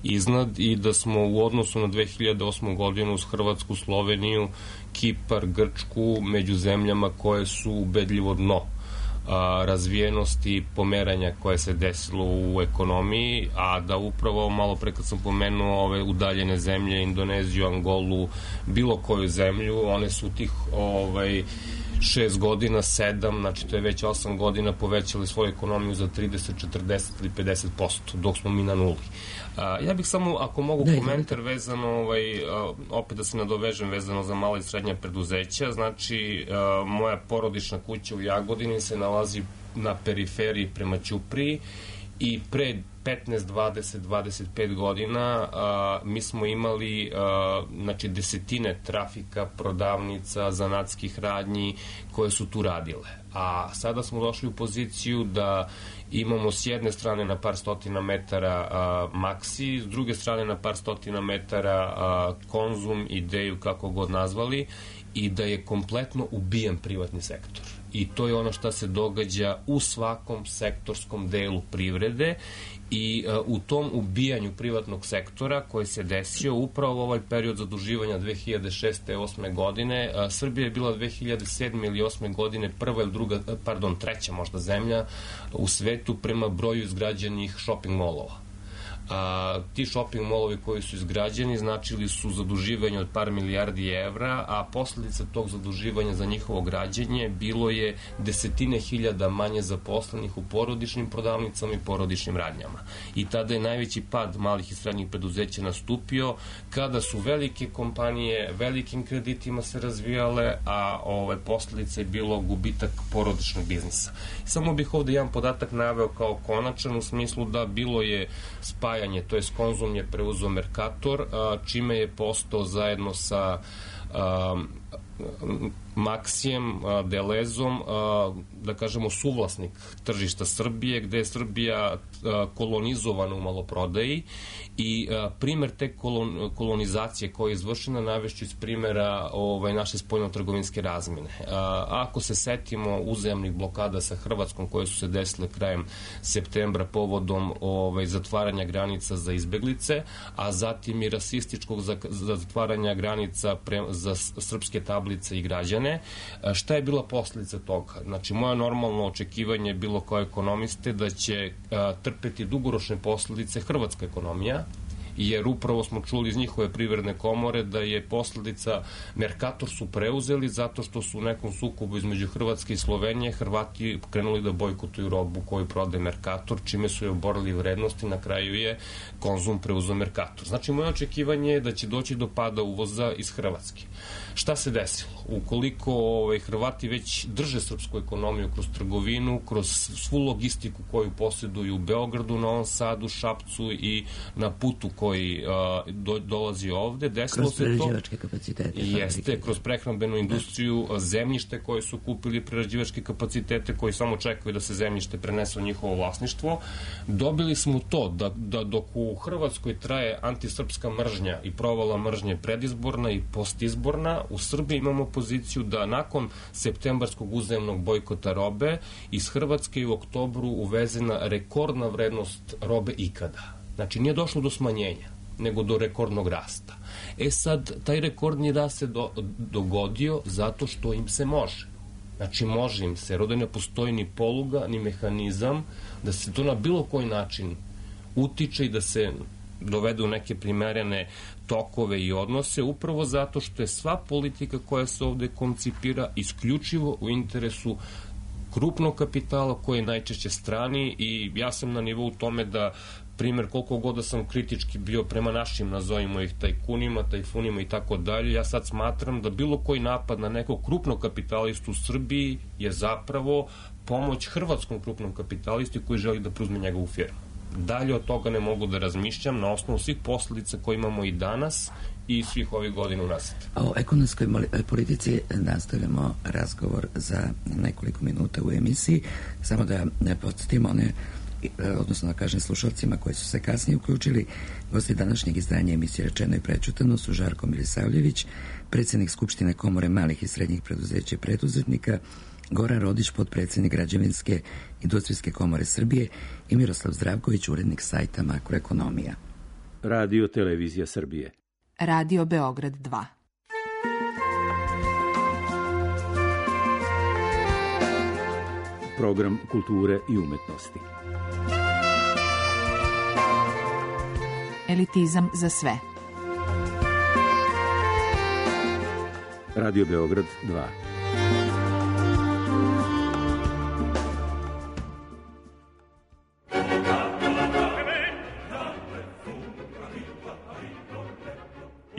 iznad, i da smo u odnosu na dve hiljade osmu godinu uz Hrvatsku, Sloveniju, Kipar, Grčku među zemljama koje su ubedljivo dno A, razvijenosti pomeranja koje se desilo u ekonomiji, a da upravo malo pre kad sam pomenuo ove udaljene zemlje, Indoneziju, Angolu, bilo koju zemlju, one su tih ovaj, šest godina, sedam, znači to je već osam godina povećali svoju ekonomiju za trideset, četrdeset ili pedeset posto, dok smo mi na nuli. A, ja bih samo, ako mogu, ne, komentar vezano, ovaj, a, opet da se nadovežem vezano za mala i srednja preduzeća, znači a, moja porodična kuća u Jagodini se nalazi na periferiji prema Ćupriji i pre petnaest, dvadeset, dvadeset pet godina a, mi smo imali a, znači desetine trafika, prodavnica, zanatskih radnji koje su tu radile. A sada smo došli u poziciju da imamo s jedne strane na par stotina metara a, Maxi, s druge strane na par stotina metara a, Konzum, Ideju, kako god nazvali, i da je kompletno ubijen privatni sektor. I to je ono što se događa u svakom sektorskom delu privrede i uh, u tom ubijanju privatnog sektora koji se desio upravo ovaj period zaduživanja dve hiljade šeste i osme godine. Uh, Srbija je bila dve hiljade sedme ili osme godine prva ili druga, pardon, treća možda zemlja u svetu prema broju izgrađenih shopping molova. A, ti shopping molovi koji su izgrađeni značili su zaduživanje od par milijardi evra, a posledica tog zaduživanja za njihovo građenje bilo je desetine hiljada manje zaposlenih u porodičnim prodavnicama i porodičnim radnjama. I tada je najveći pad malih i srednjih preduzeća nastupio kada su velike kompanije velikim kreditima se razvijale, a ove posledice je bilo gubitak porodičnog biznisa. Samo bih ovde jedan podatak naveo kao konačan u smislu da bilo je spajanje, to je Konzum je preuzeo Mercator, čime je postao zajedno sa Maxijem, Delezom, da kažemo suvlasnik tržišta Srbije, gde je Srbija kolonizovana u maloprodaji i primer te kolonizacije koja je izvršena navešću iz primera ovaj, naše spoljno-trgovinske razmene. Ako se setimo uzajamnih blokada sa Hrvatskom koje su se desile krajem septembra povodom ovaj, zatvaranja granica za izbeglice, a zatim i rasističkog zatvaranja granica pre, za srpske tablice i građane, šta je bila posledica toga? Znači, moje normalno očekivanje je bilo kao ekonomiste da će a, trpeti dugoročne posledice hrvatska ekonomija, jer upravo smo čuli iz njihove privredne komore da je posledica Mercator su preuzeli zato što su u nekom sukobu između Hrvatske i Slovenije Hrvati krenuli da bojkotuju robu koju prodaje Mercator, čime su je oborili vrednosti, na kraju je Konzum preuzeo Mercator. Znači, moje očekivanje je da će doći do pada uvoza iz Hrvatske. Šta se desilo? Ukoliko ovaj, Hrvati već drže srpsku ekonomiju kroz trgovinu, kroz svu logistiku koju posjeduju u Beogradu, Novom Sadu, Šapcu i na putu koji a, do, dolazi ovde, desilo se to... Kroz prerađivačke kapacitete. Jeste, kroz prehrambenu industriju, zemljište koje su kupili prerađivačke kapacitete koji samo čekaju da se zemljište prenese u njihovo vlasništvo. Dobili smo to da, da dok u Hrvatskoj traje antisrpska mržnja i provala mržnje predizborna i postizborna, u Srbiji imamo poziciju da nakon septembarskog uzajamnog bojkota robe iz Hrvatske u oktobru uvezena rekordna vrednost robe ikada. Znači, nije došlo do smanjenja, nego do rekordnog rasta. E sad, taj rekordni rast se do, dogodio zato što im se može. Znači, može im se, jer ne postoji ni poluga, ni mehanizam da se to na bilo koji način utiče i da se dovede u neke primerene tokove i odnose, upravo zato što je sva politika koja se ovde koncipira isključivo u interesu krupnog kapitala koji je najčešće strani i ja sam na nivou tome da primer koliko god da sam kritički bio prema našim, nazovimo ih tajkunima, tajfunima i tako dalje, ja sad smatram da bilo koji napad na nekog krupnog kapitalistu u Srbiji je zapravo pomoć hrvatskom krupnom kapitalistu koji želi da preuzme njegovu firmu. Dalje od toga ne mogu da razmišljam na osnovu svih posledica koje imamo i danas i svih ovih godina unazad. O ekonomskoj politici nastavljamo razgovor za nekoliko minuta u emisiji. Samo da ne podsjetimo one, odnosno da kažem slušalcima koji su se kasnije uključili, gosti današnjeg izdanja emisije Rečeno i prečutano su Žarko Milisavljević, predsjednik Skupštine Komore malih i srednjih preduzeća i preduzetnika, Goran Rodić, potpredsjednik Građevinske industrijske komore Srbije i Miroslav Zdravković, urednik sajta Makroekonomija. Radio Televizija Srbije. Radio Beograd dva. Program kulture i umetnosti. Elitizam za sve. Radio Beograd dva.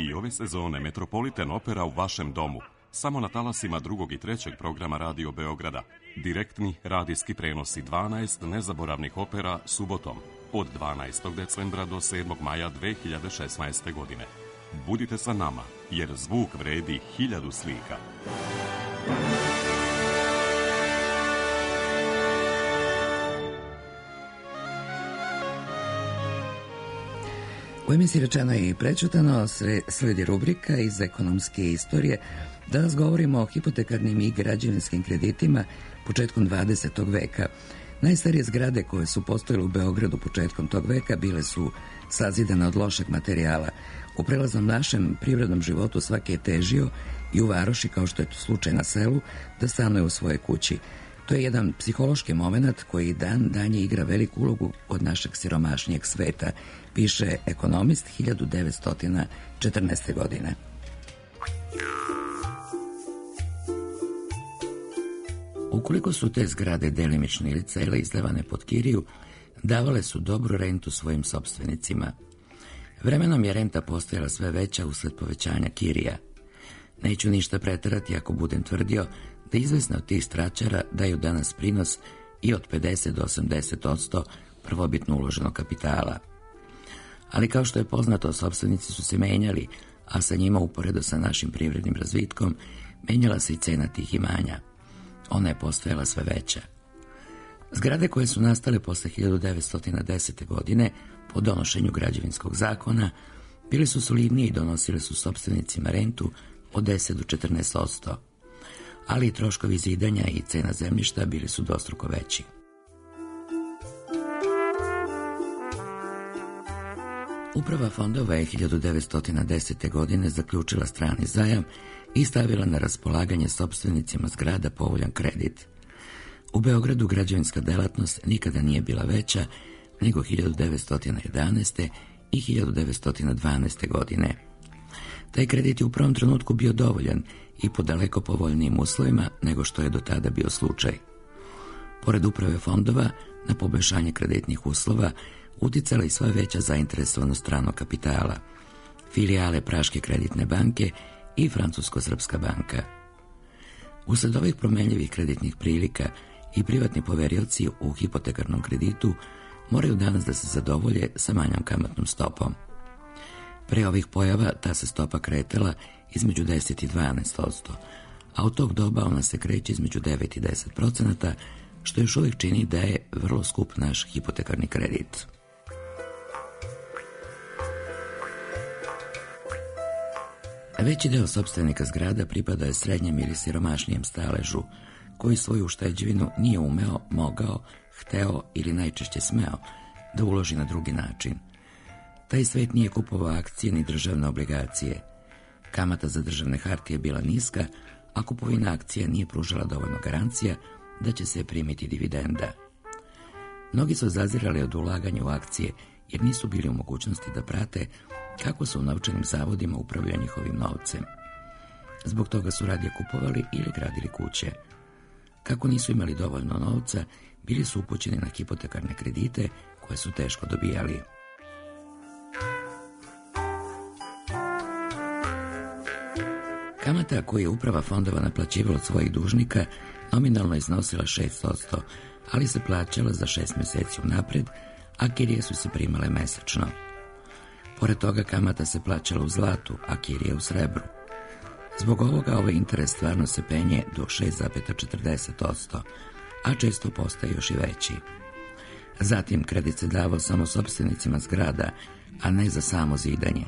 I ove sezone Metropolitan Opera u vašem domu. Samo na talasima drugog i trećeg programa Radio Beograda. Direktni radijski prenosi dvanaest nezaboravnih opera subotom od dvanaestog decembra do sedmog maja dve hiljade šesnaeste. godine. Budite sa nama, jer zvuk vredi hiljadu slika. U emisiji Rečeno i prečutano sledi rubrika iz ekonomske istorije Danas govorimo o hipotekarnim i građevinskim kreditima početkom dvadesetog veka. Najstarije zgrade koje su postojale u Beogradu početkom tog veka bile su sazidane od lošeg materijala. U prelaznom našem privrednom životu svaki je težio i u varoši, kao što je to slučaj na selu, da stanuje u svojoj kući. To je jedan psihološki moment koji dan danje igra veliku ulogu od našeg siromašnijeg sveta, piše ekonomist hiljadu devetsto četrnaeste. godine. Ukoliko su te zgrade delimično ili cele izdavane pod kiriju, davale su dobru rentu svojim sopstvenicima. Vremenom je renta postajala sve veća usled povećanja kirija. Neću ništa preterati ako budem tvrdio da izvesne od tih stračara daju danas prinos i od pedeset do osamdeset posto prvobitno uloženog kapitala. Ali kao što je poznato, sopstvenici su se menjali, a sa njima uporedo sa našim privrednim razvitkom menjala se i cena tih imanja. Ona je postajala sve veća. Zgrade koje su nastale posle hiljadu devetsto desete. godine po donošenju građevinskog zakona bili su solidnije i donosile su sopstvenicima rentu od deset do četrnaest posto. Ali i troškovi zidanja i cena zemljišta bili su dvostruko veći. Uprava fondova je hiljadu devetsto desete. godine zaključila strani zajam i stavila na raspolaganje sopstvenicima zgrada povoljan kredit. U Beogradu građevinska delatnost nikada nije bila veća nego hiljadu devetsto jedanaeste. i hiljadu devetsto dvanaeste. godine. Taj kredit je u prvom trenutku bio dovoljan i po daleko povoljnijim uslovima nego što je do tada bio slučaj. Pored uprave fondova, na poboljšanje kreditnih uslova uticala i sva veća zainteresovanost stranog kapitala, filijale Praške kreditne banke i Francusko-srpska banka. Usled ovih promenljivih kreditnih prilika i privatni poverioci u hipotekarnom kreditu moraju danas da se zadovolje sa manjom kamatnom stopom. Pre ovih pojava ta se stopa kretala između deset i dvanaest posto, a od tog doba ona se kreće između devet i deset procenata, što još uvijek čini da je vrlo skup naš hipotekarni kredit. Veći deo sopstvenika zgrada pripada je srednjem ili siromašnijem staležu, koji svoju ušteđevinu nije umeo, mogao, hteo ili najčešće smeo da uloži na drugi način. Taj svet nije kupovao akcije ni državne obligacije. Kamata za državne hartije je bila niska, a kupovina akcija nije pružala dovoljno garancija da će se primiti dividenda. Mnogi su zazirali od ulaganja u akcije jer nisu bili u mogućnosti da prate kako su u novčanim zavodima upravljali njihovim novcem. Zbog toga su radije kupovali ili gradili kuće. Kako nisu imali dovoljno novca, bili su upućeni na hipotekarne kredite koje su teško dobijali. Kamata koju je uprava fondova naplaćivala od svojih dužnika nominalno iznosila šest posto, ali se plaćala za šest meseci unapred, a kirije su se primale mesečno. Pored toga kamata se plaćala u zlatu, a kirije u srebru. Zbog ovoga ovaj interes stvarno se penje do šest zarez četrdeset posto, a često postaje još i veći. Zatim kredit se davao samo sopstvenicima zgrada, a ne za samo zidanje.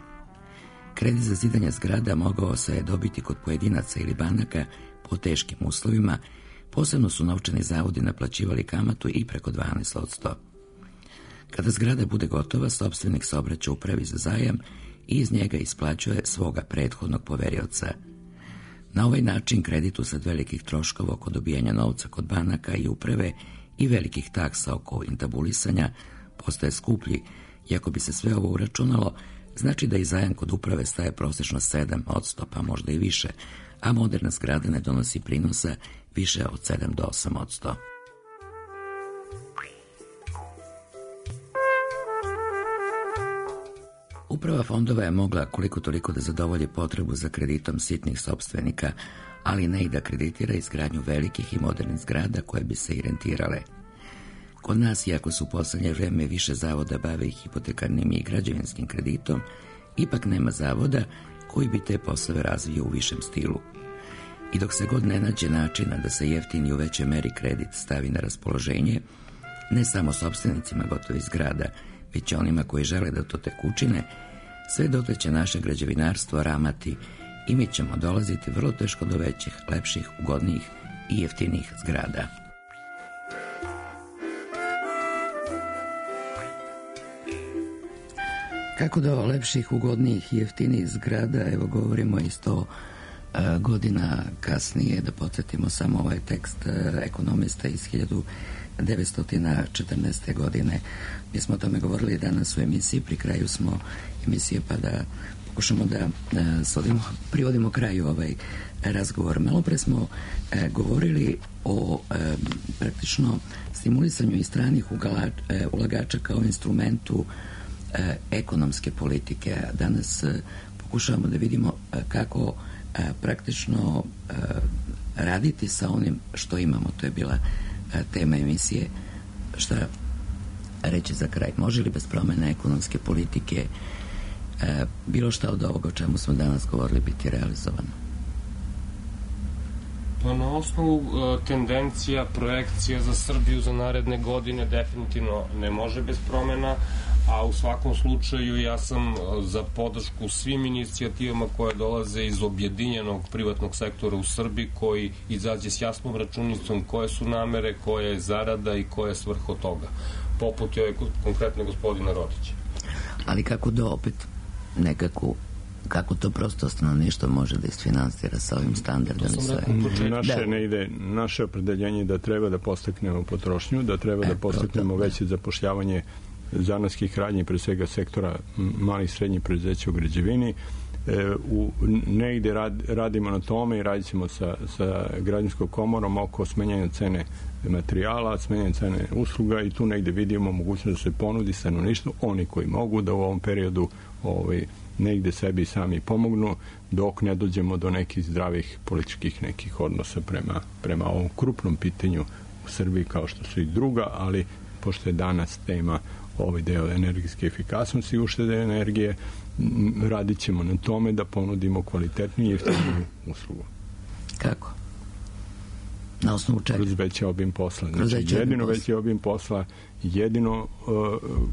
Kredit za zidanje zgrada mogao se je dobiti kod pojedinaca ili banaka po teškim uslovima, posebno su novčani zavodi naplaćivali kamatu i preko dvanaest posto. Kada zgrada bude gotova, sopstvenik se obraća upravi za zajam i iz njega isplaćuje svoga prethodnog poverioca. Na ovaj način kredit usled velikih troškova oko dobijanja novca kod banaka i uprave i velikih taksa oko intabulisanja postaje skuplji, i ako bi se sve ovo uračunalo, znači da i zajam kod uprave staje prosečno sedam posto, pa možda i više, a moderna zgrada ne donosi prinosa više od sedam do osam posto. Uprava fondova je mogla koliko toliko da zadovolji potrebu za kreditom sitnih sopstvenika, ali ne i da kreditira izgradnju velikih i modernih zgrada koje bi se i rentirale. Kod nas, iako su u poslednje vreme više zavoda bave i hipotekarnim i građevinskim kreditom, ipak nema zavoda koji bi te poslove razvio u višem stilu. I dok se god ne nađe načina da se jeftini u većoj meri kredit stavi na raspoloženje, ne samo sopstvenicima gotovih zgrada, već onima koji žele da to tek učine, sve dotle će naše građevinarstvo ramati i mi ćemo dolaziti vrlo teško do većih, lepših, ugodnijih i jeftinijih zgrada. Kako do lepših, ugodnijih i jeftinijih zgrada, evo govorimo i sto e, godina kasnije, da podsjetimo samo ovaj tekst e, ekonomista iz hiljadu devetsto četrnaeste. godine. Mi smo o tome govorili danas u emisiji, pri kraju smo emisije, pa da pokušamo da e, sodimo, privodimo kraju ovaj razgovor. Malo pre smo e, govorili o e, praktično stimulisanju i stranih ugala, e, ulagača kao instrumentu e, ekonomske politike. Danas e, pokušavamo da vidimo e, kako e, praktično e, raditi sa onim što imamo. To je bila e, tema emisije. Šta reći za kraj? Može li bez promene ekonomske politike e, bilo šta od ovoga o čemu smo danas govorili biti realizovano? Pa na osnovu uh, tendencija, projekcija za Srbiju za naredne godine definitivno ne može bez promena, a u svakom slučaju ja sam za podršku svim inicijativama koje dolaze iz objedinjenog privatnog sektora u Srbiji, koji izađe s jasnom računicom koje su namere, koja je zarada i koja je svrha toga, poput je konkretno gospodina Rodića. Ali kako da opet nekako, kako to prosto stanovništvo može da isfinansira sa ovim standardom? Naše da. ne ide, naše opredeljenje da treba da podstaknemo potrošnju, da treba e, da podstaknemo veće zapošljavanje zanatskih radnji, pre svega sektora malih i srednjih preduzeća u građevini. E, u, negde rad, radimo na tome i radit ćemo sa, sa građanskom komorom oko smenjanja cene materijala, smenjanja cene usluga i tu negde vidimo mogućnost da se ponudi stanovništvu, oni koji mogu da u ovom periodu ovaj, negde sebi sami pomognu, dok ne dođemo do nekih zdravih političkih nekih odnosa prema, prema ovom krupnom pitanju u Srbiji, kao što su i druga, ali pošto je danas tema ovaj deo energetske efikasnosti i uštede energije, radit ćemo na tome da ponudimo kvalitetnu i jeftinu uslugu. Kako? Na osnovu čega? Kroz veći obim posla. Znači, jedino veći obim posla, jedino uh,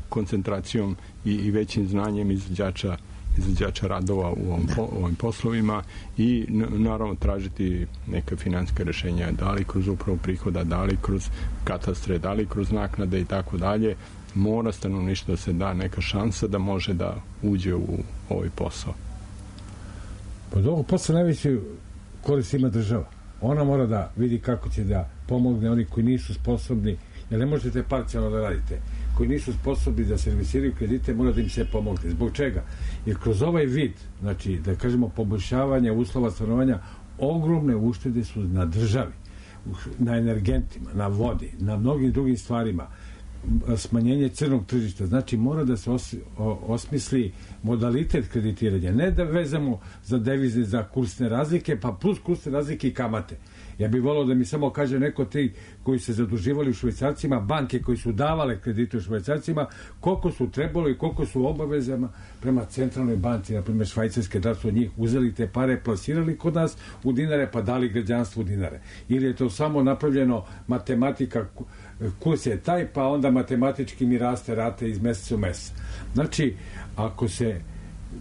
koncentracijom i, i većim znanjem izvođača izvođača radova u ovom, po, ovim poslovima i naravno tražiti neka finansijska rešenja, da li kroz upravu prihoda, da li kroz katastre, da li kroz naknade i tako dalje. Mora stanovništvo da se da neka šansa da može da uđe u ovaj posao. Pod ovog posla najveći korist ima država. Ona mora da vidi kako će da pomogne oni koji nisu sposobni, jer ne možete parcijalno da radite, koji nisu sposobni da servisiraju kredite, mora da im se pomogne. Zbog čega? Jer kroz ovaj vid, znači, da kažemo, poboljšavanja uslova stanovanja, ogromne uštede su na državi, na energentima, na vodi, na mnogim drugim stvarima, smanjenje crnog tržišta. Znači, mora da se os, o, osmisli modalitet kreditiranja. Ne da vezamo za devizne, za kursne razlike, pa plus kursne razlike i kamate. Ja bih volao da mi samo kaže neko ti koji se zaduživali u švajcarcima, banke koji su davale kredite u švajcarcima, koliko su trebalo i koliko su obavezama prema centralnoj banci, na primjer švajcarske, da su od njih uzeli te pare, plasirali kod nas u dinare, pa dali građanstvu dinare. Ili je to samo napravljeno matematika, kurs je taj, pa onda matematički mi raste rate iz meseca u mesec. Znači, ako se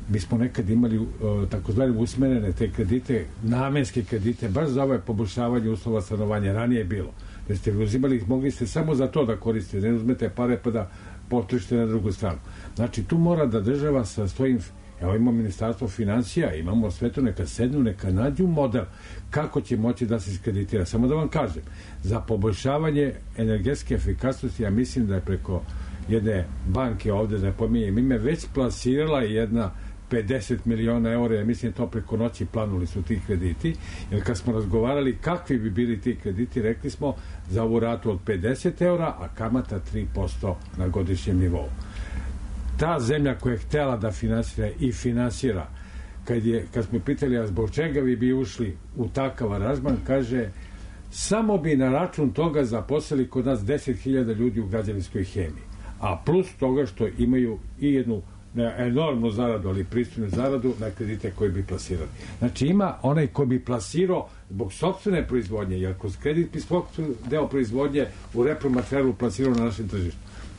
mi smo nekad imali uh, takozvane usmerene te kredite, namenske kredite, baš za ovo poboljšavanje uslova stanovanja. Ranije je bilo. Da ste uzimali, mogli ste samo za to da koristite, ne uzmete pare pa da potrošite na drugu stranu. Znači, tu mora da država sa svojim, evo imamo ministarstvo financija, imamo sve to, neka sednu, neka nađu model kako će moći da se iskreditira. Samo da vam kažem, za poboljšavanje energetske efikasnosti, ja mislim da je preko jedne banke ovde, da pominjem ime, već plasirala jedna pedeset miliona eura, ja mislim to preko noći planuli su ti krediti, jer kad smo razgovarali kakvi bi bili ti krediti, rekli smo za ovu ratu od pedeset eura, a kamata tri posto na godišnjem nivou. Ta zemlja koja je htela da finansira i finansira, kad, je, kad smo pitali, a zbog čega vi bi ušli u takav aranžman, kaže, samo bi na račun toga zaposlili kod nas deset hiljada ljudi u građevinskoj hemiji, a plus toga što imaju i jednu enormnu zaradu, ali pristojnu zaradu na kredite koje bi plasirali. Znači ima onaj ko bi plasirao zbog sopstvene proizvodnje, jer kroz kredit bi svog deo proizvodnje u repromaterijalu plasirao na našem tržištu.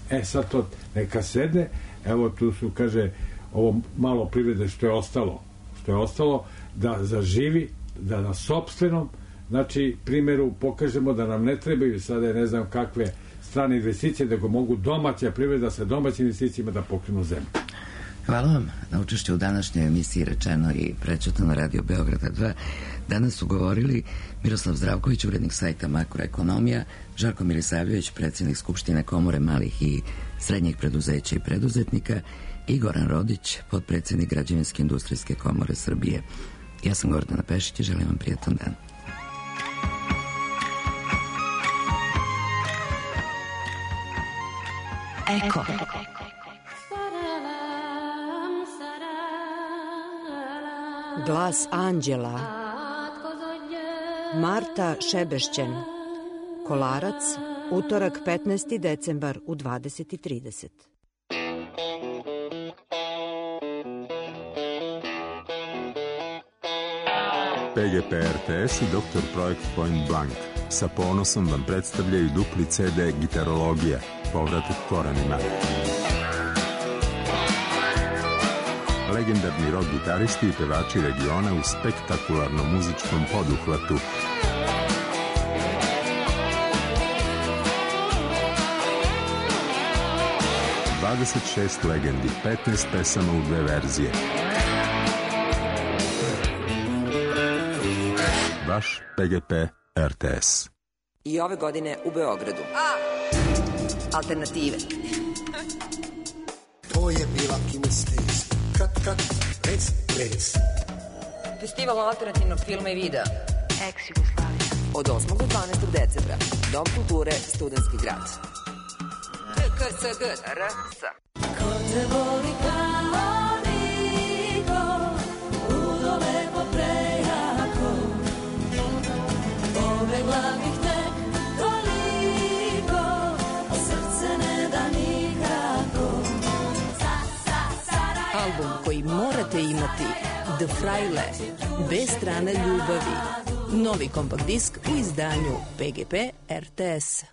E sad to neka sedne, evo tu su, kaže, ovo malo privrede što je ostalo, što je ostalo, da zaživi, da na sopstvenom, znači, primjeru pokažemo da nam ne trebaju sada ne znam kakve strane investicije, da go mogu domaća privreda sa domaćim investicijama da pokrenu zemlju. Hvala vam na učešću u današnjoj emisiji Rečeno i prećutno na Radio Beograda dva. Danas su govorili Miroslav Zdravković, urednik sajta Makroekonomija, Žarko Milisavljević, predsjednik Skupštine Komore malih i srednjih preduzeća i preduzetnika i Goran Rodić, potpredsjednik Građevinske industrijske komore Srbije. Ja sam Gordana Pešić i želim vam prijatan dan. Eko. Glas anđela. Marta Šebešćen. Kolarac, utorak petnaesti decembar u dvadeset i trideset. P G P R T S i doktor Projekt Point Blank sa ponosom vam predstavljaju dupli C D Gitarologija, povratak korenima. Legendarni rock gitaristi i pevači regiona u spektakularnom muzičkom poduhvatu. dvadeset šest legendi, petnaest pesama u dve verzije. Vaš P G P R T S. I ove godine u Beogradu. A! Alternative. To je bila kinesteza. Kat, kat, rec, rec. Festival alternativnog filma i videa. Ex-Jugoslavija. Od osmog do dvanaestog decembra. Dom kulture, Studentski grad. K S G R S. Ko te voli kao niko, ludo lepo prejako, pobegla bih tek toliko, a srce ne da nikako. Album koji morate imati, The Fraile, B strana ljubavi. Novi kompakt disk u izdanju P G P R T S.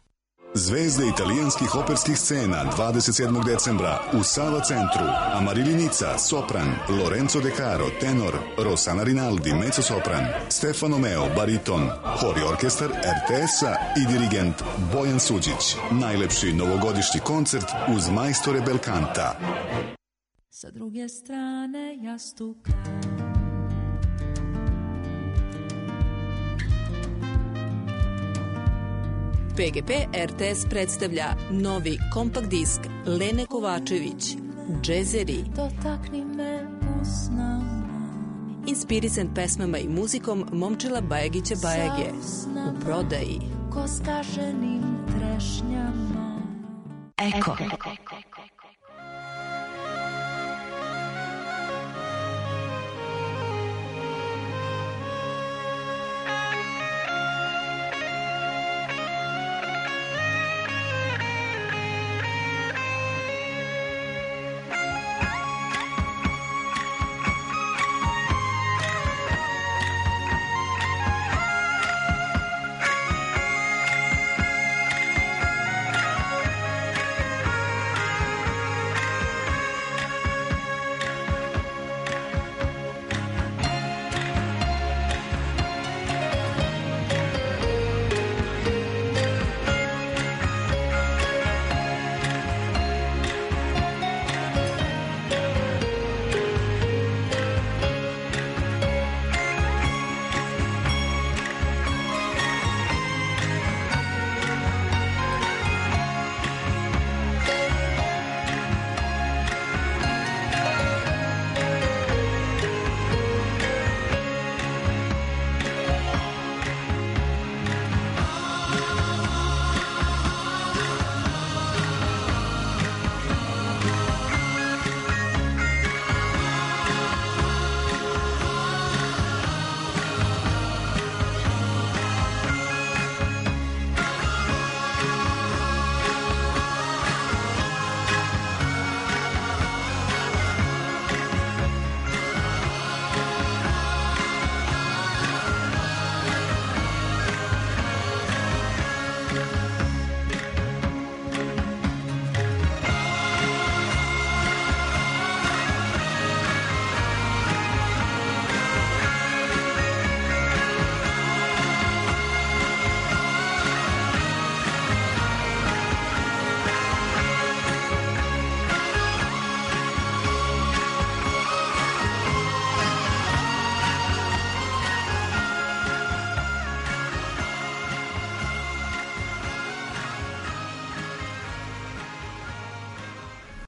Zvezde italijanskih operskih scena dvadeset sedmog decembra u Sava centru. Amarilli Nica, sopran, Lorenzo De Caro, tenor, Rossana Rinaldi, mezzosopran, Stefano Meo, bariton, hor i orkestar R T S-a i dirigent Bojan Suđić. Najlepši novogodišnji koncert uz majstore Belkanta. Sa druge strane jastuka. P G P R T S predstavlja novi kompakt disk Lene Kovačević, Džezeri. Dotakni me usnama. Inspirisan pesmama i muzikom Momčila Bajagića Bajage. U prodaji. Ko skaženim trešnjama. Eko.